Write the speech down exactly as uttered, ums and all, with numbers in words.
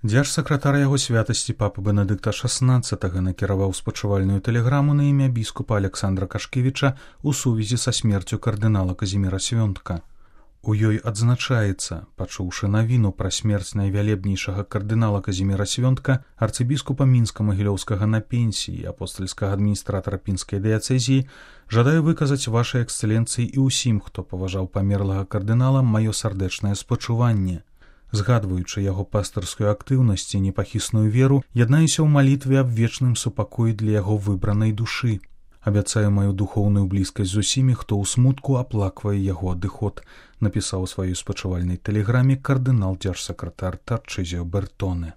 Дзяржсакратар яго святасці папы Бенедыкта шаснаццатага накіраваў спачувальную тэлеграму на імя біскупа Александра Кашкевіча ў сувязі са смерцю кардынала Казіміра Свёнтка. У ёй адзначаецца, пачуўшы навіну пра смерць найвялебнейшага кардынала Казіміра Свёнтка, арцыбіскупа Мінска-Магілёўскага на пенсіі, апостальскага адміністратара пінскай дыяцэзіі, жадаю выказаць вашай эксцэленцыі і ўсім, хто паважаў памерлага кардынала, маё сардэчнае спачуванне. Згадваючы яго пастырскую актыўнасць і непахісную веру, яднаюся ў малітве аб вечным супакоі для яго выбранай душы. Абяцаю маю духоўную блізкасць з усімі, хто ў смутку аплаквае яго адыход, напісаў у сваёй спачувальнай тэлеграме кардынал-дзяржсакратар Тарчызіо Бертоне.